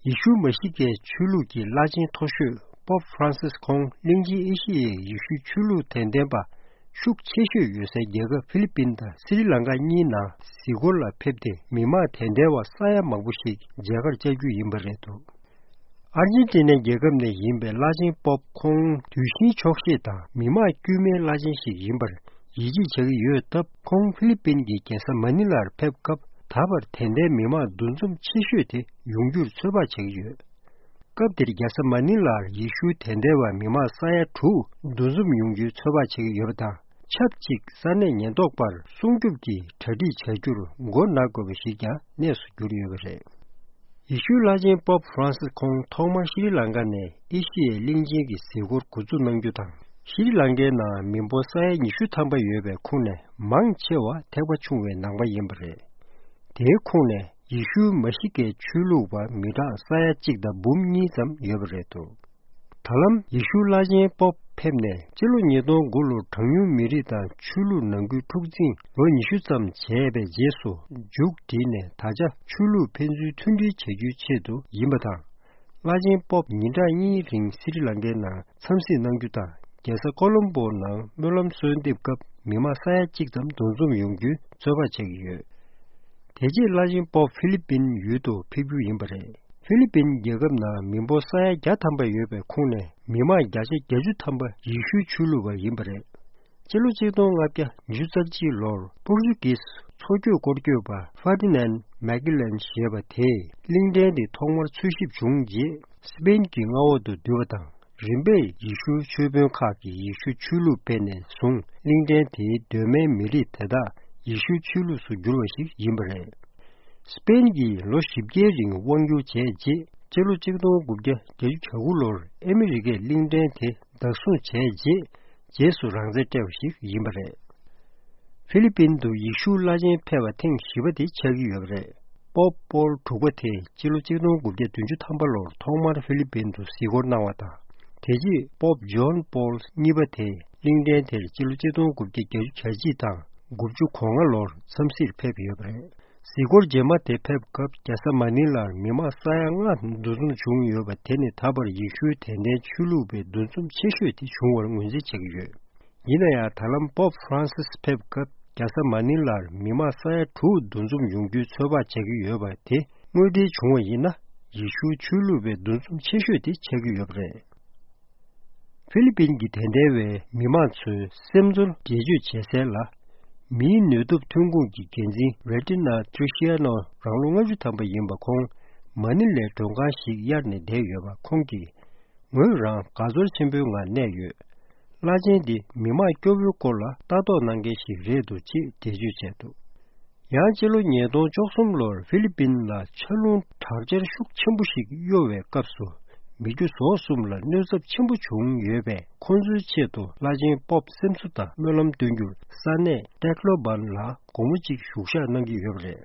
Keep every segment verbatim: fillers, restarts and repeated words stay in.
ཡེ་ཤུ་མ་ཤི་ཀའི་ཆོས་ལུགས་ཀྱི་བླ་ཆེན་མཐོ་ཤོས་པོབ་ཧྥ་རན་སིས་ཁོང་གླིང་ཆེན་ཨེ་ཤི་ཡའི་ཡེ་ཤུའི་ཆོས་ལུགས་དད་ལྡན་པ་ཤུགས་ཆེ་ཤོས་ཡོད་སའི་རྒྱལ་ཁབ་ཧྥི་ལི་པིན་དང་སི་རི་ལང་ཀ་གཉིས་ནང་གཟིགས་སྐོར་ལ་ཕེབས་ཏེ། མི་མང་དད་ལྡན་པ་ས་ཡ་མང་པོ་ཞིག་མཇལ་ཁར་བཅར་རྒྱུ་ཡིན་པ་རེད་འདུག་ཨར་ཇེན་ཏི་ནའི་རྒྱལ་ཁབ་ནས་ཡིན་པའི་བླ་ཆེན་པོབ་ཁོང་དུས་ཆེན་འཁྱོག་བཤད་དང་མི་མང་དཀྱུས་མའི་བླ་ཆེན་ཞིག་ཡིན་པར་ཡིད་ཆེས་བྱ་གི་ཡོད་སྟབས། ཁོང་ཧྥི་ལི་པིན་གྱི་རྒྱལ་ས་མ་ནི་ལར་ཕེབས་སྐབས། ད་བར་དད་ལྡན་མི་མང་འདུ་འཛོམས་ཆེ་ཤོས་དེ་ཡོང་རྒྱུར་ཚོད་དཔག་བྱེད་ཀྱི་ཡོད། སྐབས་དེར་རྒྱལ་ས་མ་ནི་ལར་ཡེ་ཤུའི་དད་ལྡན་པ་མི་མང་ས་ཡ་དྲུག་འདུ་འཛོམས་ཡོང་རྒྱུའི་ཚོད་དཔག་བྱེད་ཀྱི་ཡོད་པ་དང་། ཆབས་ཅིག་ས་གནས་ཉེན་རྟོག་པར་སྲུང་སྐྱོབ་ཀྱི་གྲ་སྒྲིག་བྱ་རྒྱུར་མགོ་ན་དགོས་པ་ཞིག་ཀྱང་གནས་སུ་གྱུར་ཡོད་པ་རེད། ཡེ་ཤུའི་བླ་ཆེན་པོབ་ཧྥ་རན་སིས་ཁོང་ཐོག་མར་ཤྲི་ལང་ཀ་ནས་ཨེ་ཤི་ཡའི་གླིང་ཆེན་གྱི་གཟིགས་སྐོར་འགོ་འཛུགས་གནང་རྒྱུ་དང་། ཤྲི་ལང་ཀའི་ནང་མི་འབོར་ས་ཡ་ཉི་ཤུ་ཐམ་པ་ཡོད་པའི་ཁོངས་ནས་མང་ཆེ་བ་ཐེག་པ་ཆུང་བའི་ནང་པ་ཡིན་པ་རེད། དེའི་ཁོངས་ནས་ཡེ་ཤུའི་མ་ཤི་ཀའི་ཆོས་ལུགས་པ་མི་གྲངས་ས་ཡ་གཅིག་དང་འབུམ་གཉིས་ཙམ་ཡོད་པ་རེད་འདུག་ད་ལམ་ཡེ་ཤུ་བླ་ཆེན་པོབ་ཕེབས་ནས་སྤྱི་ལོ་ཉིས་སྟོང་དགུ་ལོར་གྲངས་ཉུང་མི་རིགས་དང་ཆོས་ལུགས་ནང་ཁུལ་འཁྲུག་འཛིང་ལོ་ཉི་ཤུ་ཙམ་བྱས་པའི་རྗེས་སུ་མཇུག་བསྒྲིལ་ནས། ད་ཆ་ཆོས་ལུགས་ཕན་ཚུན་མཐུན་སྒྲིལ་བྱ་རྒྱུའི་ཆེད་དུ་ཡིན་པ་དང་། བླ་ཆེན་པོབ་ཉིན་གྲངས་གཉིས་རིང་སི་རི་ལང་ཀའི་ནང་འཚམས་གཟིགས་གནང་རྒྱུ་དང་། རྒྱལ་ས་ཀོ་ལོམ་པོ་ནང་སྨོན་ལམ་གསོལ་འདེབས་སྐབས་མི་མང་ས་ཡ་གཅིག་ཙམ་འདུ་འཛོམས་ཡོང་རྒྱུའི་ཚོད་དཔག་བྱེད་ཀྱི་ཡོད། དེ་རྗེས་བླ་ཆེན་པོབ་ཧྥི་ལི་པིན་ཡུལ་དུ་ཕེབས་རྒྱུ་ཡིན་པ་རེད། ཧྥི་ལི་པིན་རྒྱལ་ཁབ་ནང་མི་འབོར་ས་ཡ་བརྒྱ་ཐམ་པ་ཡོད་པའི་ཁོངས་ནས་མི་མང་བརྒྱ་ཆ་བརྒྱད་ཅུ་ཐམ་པ་ཡེ་ཤུའི་ཆོས་ལུགས་པ་ཡིན་པ་རེད། སྤྱི་ལོ་གཅིག་སྟོང་ལྔ་བརྒྱ་ཉི་ཤུ་རྩ་གཅིག་ལོར་པོར་ཅུ་གིས་མཚོ་སྐྱོད་སྐོར་སྐྱོད་པ་ཧྥར་ཏི་ནན་མེག་ལན་ཞེས་པ་དེས་གླིང་ཕྲན་དེ་ཐོག་མར་འཚོལ་ཞིབ་བྱུང་རྗེས། སི་པེན་གྱི་མངའ་འོག་ཏུ་བསྡུས་པ་དང་། རིམ་པས་ཡེ་ཤུ་ཆོས་དཔོན་ཁག་གིས་ཡེ་ཤུ་ཆོས་ལུགས་སྤེལ་ནས་བཟུང་། གླིང་ཕྲན་དེའི་གདོད་མའི་མི་རིགས་དེ་དག་ཡེ་ཤུ་ཆོས་ལུགས་སུ་གྱུར་བ་ཞིག་ཡིན་པ་རེད། སི་པེན་གྱིས་ལོ་བཞི་བརྒྱའི་རིང་དབང་བསྒྱུར་བྱས་རྗེས། སྤྱི་ལོ་གཅིག་སྟོང་དགུ་བརྒྱ་བརྒྱད་ཅུ་གྱ་དགུ་ལོར་ཨ་མི་རི་ཀས་གླིང་ཕྲན་དེ་བདག་བཟུང་བྱས་རྗེས། རྗེས་སུ་རང་བཙན་སྤྲད་པ་ཞིག་ཡིན་པ་རེད། ཧྥི་ལི་པིན་དུ་ཡེ་ཤུ་བླ་ཆེན་ཕེབས་པ་ཐེངས་བཞི་པ་དེ་ཆགས་ཀྱི་ཡོད་པ་རེད། པོབ་པོལ་དྲུག་པ་དེས་སྤྱི་ལོ་གཅིག་སྟོང་དགུ་བརྒྱ་བདུན་ཅུ་ཐམ་པ་ལོར་ཐོག་མར་ཧྥི་ལི་པིན་དུ་གཟིགས་སྐོར་གནང་བ་དང་། དེ་རྗེས་པོབ་ཇོན་པོལ་གཉིས་པ་དེས་གླིང་ཕྲན་དེར་སྤྱི་ལོ་གཅིག་སྟོང་དགུ་བརྒྱ་བརྒྱད་ཅུ་གྱ་གཅིག་དང་དགུ་བཅུ་གོ་ལྔ་ལོར་འཚམས་གཟིགས་ཕེབས་ཡོད་པ་རེད། གཟིགས་སྐོར་རྗེས་མ་དེ་ཕེབས་སྐབས་རྒྱལ་ས་མ་ནི་ལར་མི་མང་ས་ཡ་ལྔ་འདུ་འཛོམས་བྱུང་ཡོད་པ་དེ་ནི་ད་བར་ཡེ་ཤུའི་དད་ལྡན་ཆོས་ལུགས་པའི་འདུ་འཛོམས་ཆེ་ཤོས་དེ་བྱུང་བར་ངོས་འཛིན་བྱེད་ཀྱི་ཡོད། ཡིན་ན་ཡང་། ད་ལམ་པོབ་ཧྥ་རན་སིས་ཕེབས་སྐབས་རྒྱལ་ས་མ་ནི་ལར་མི་མང་ས་ཡ་དྲུག་འདུ་འཛོམས་ཡོང་རྒྱུའི་ཚོད་དཔག་བྱེད་ཀྱི་ཡོད་པ་དེ་དངོས་འབྲེལ་བྱུང་བ་ཡིན་ན། ཡེ་ཤུའི་ཆོས་ལུགས་པའི་འདུ་འཛོམས་ཆེ་ཤོས་དེ་ཆགས་ཀྱི་ཡོད་པ་རེད། ཧྥི་ལི་པིན་གྱི་དད་ལྡན་པའི་མི་མང་ཚོའི་སེམས་ཚོར་འགྲེལ་བརྗོད་བྱེད་སའི་ལ། མིའི་ནུས་སྟོབས་ཐོན་ཁུངས་ཀྱི་འགན་འཛིན་རེ་ཏི་ན་ཏྲི་ཤི་ཡ་ནོ་རང་ལོ་ལྔ་བཅུ་ཐམ་པ་ཡིན་པ་ཁོང་མ་ནི་ལའི་མགྲོན་ཁང་ཞིག་གཡར་ནས་བསྡད་ཡོད་པ་ཁོང་གིས། ངོས་རང་དགའ་ཚོར་ཆེན་པོའི་ངང་གནས་ཡོད། བླ་ཆེན་འདི་མི་མང་སྐྱོ་བོའི་སྐོར་ལ་ལྟ་རྟོག་གནང་མཁན་ཞིག་རེད་འདུག་ཅེས་འགྲེལ་བརྗོད་བྱས་འདུག་ཡང་སྤྱི་ལོ་ཉིས་སྟོང་བཅུ་གསུམ་ལོར་ཧྥི་ལི་པིན་ལ་ཆར་རླུང་དྲག་ཆར་ཤུགས་ཆེན་པོ་ཞིག་གཡོ་བའི་སྐབས་སུ། མི་རྒྱུ་ཟོག་གསུམ་ལ་གནོད་ཚབས་ཆེན་པོ་བྱུང་ཡོད་པས། ཁོང་ཚོའི་ཆེད་དུ་བླ་ཆེན་པོབ་སེམས་གསོ་དང་སྨོན་ལམ་སྟོན་རྒྱུར་ས་གནས་ཏེག་ལོ་བན་ལ་དགོང་མོ་གཅིག་བཞུགས་ཞག་གནང་གི་ཡོད་པ་རེད།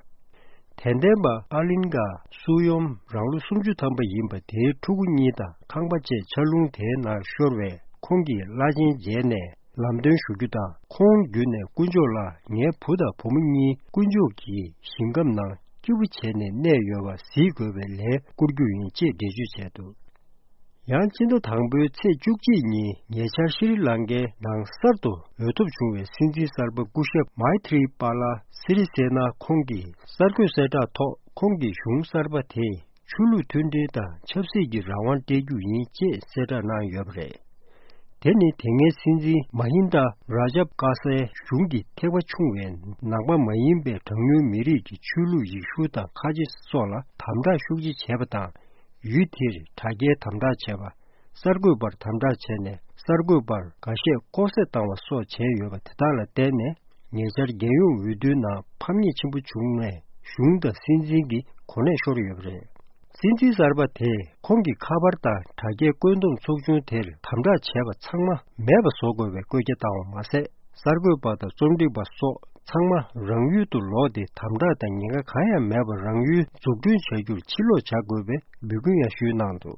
དད་ལྡན་པ་ཨ་ལིན་ག་སུ་ཡོམ་རང་ལོ་སུམ་ཅུ་ཐམ་པ་ཡིན་པ་དེའི་ཕྲུ་གུ་གཉིས་དང་ཁང་པ་བཅས་ཆར་རླུང་དེའི་ནང་ཤོར་བས། ཁོང་གིས་བླ་ཆེན་མཇལ་ནས་ལམ་སྟོན་ཞུ་རྒྱུ་དང་། ཁོང་བརྒྱུད་ནས་དཀོན་མཆོག་ལ་ངའི་བུ་དང་བུ་མོ་གཉིས་དཀོན་མཆོག་གི་ཞིང་ཁམས་ནང་སྐྱིད་པོ་བྱས་ནས་གནས་ཡོད་པ་གཟིགས་དགོས་པའི་ལན་བསྐུར་རྒྱུ་ཡིན་ཅེས་འགྲེལ་བརྗོད་བྱས་འདུག་ཡང་སྤྱི་ཟླ་དང་པོའི་ཚེས་བཅུ་གཅིག་ཉིན་ཉེ་ཆར་ཤྲི་ལང་ཀའི་ནང་གསར་དུ་འོས་ཐོབ་བྱུང་བའི་སྲིད་འཛིན་གསར་པ་སྐུ་ཞབས་མཱི་ཐི་རི་པཱ་ལ་སི་རི་སེ་ན་ཁོང་གིས་གསར་འགོད་གསལ་བསྒྲགས་ཐོག་ཁོང་གི་གཞུང་གསར་པ་དེས་ཆོས་ལུགས་མཐུན་སྒྲིལ་དང་ཆབ་སྲིད་ཀྱི་རང་དབང་སྤྲད་རྒྱུ་ཡིན་ཅེས་གསལ་བསྒྲགས་གནང་ཡོད་པ་རེད། དེ་ནི་དེ་སྔའི་སྲིད་འཛིན་མ་ཧིན་ད་ར་ཇབ་ཀ་སའི་གཞུང་གི་ཐེག་པ་ཆུང་བའི་ནང་པ་མ་ཡིན་པའི་གྲངས་ཉུང་མི་རིགས་ཀྱི་ཆོས་ལུགས་ཡེ་ཤུ་དང་ཁ་ཆེ་སོགས་ལ་དམ་དྲག་ཤུགས་ཆེ་བྱས་པ་དང་། ཡུལ་དེར་དྲ་རྒྱའི་དམ་དྲག་བྱས་པ། གསར་འགོད་པར་དམ་དྲག་བྱས་ནས་གསར་འགོད་པར་འགའ་ཤས་ལྐོག་བསད་བཏང་བ་སོགས་བྱས་ཡོད་པ་དེ་དག་ལ་བརྟེན་ནས། ཉེ་ཆར་རྒྱལ་ཡོངས་འོས་བསྡུའི་ནང་ཕམ་ཉེས་ཆེན་པོ་བྱུང་ནས་གཞུང་དང་སྲིད་འཛིན་གྱི་གོ་གནས་ཤོར་ཡོད་པ་རེད། སྲིད་འཛིན་གསར་པ་དེས་ཁོང་གི་ཁ་པར་དང་དྲ་རྒྱའི་བཀོད་འདོམས་ཚོགས་ཆུང་དེར་དམ་དྲག་བྱས་པ་ཚང་མ་མེད་པ་བཟོ་དགོས་པའི་བཀོད་རྒྱ་བཏང་བ་མ་ཟད། གསར་འགོད་པ་དང་རྩོམ་སྒྲིག་པ་སོགས་ཚང་མ་རང་ཡུལ་དུ་ལོག་སྟེ་དམ་དྲག་དང་ཉེན་ཁ་གང་ཡང་མེད་པར་རང་ཡུལ་འཛུགས་སྐྲུན་བྱ་རྒྱུར་ཕྱིར་ལོག་བྱ་དགོས་པའི་འབོད་སྐུལ་ཡང་ཞུས་གནང་འདུག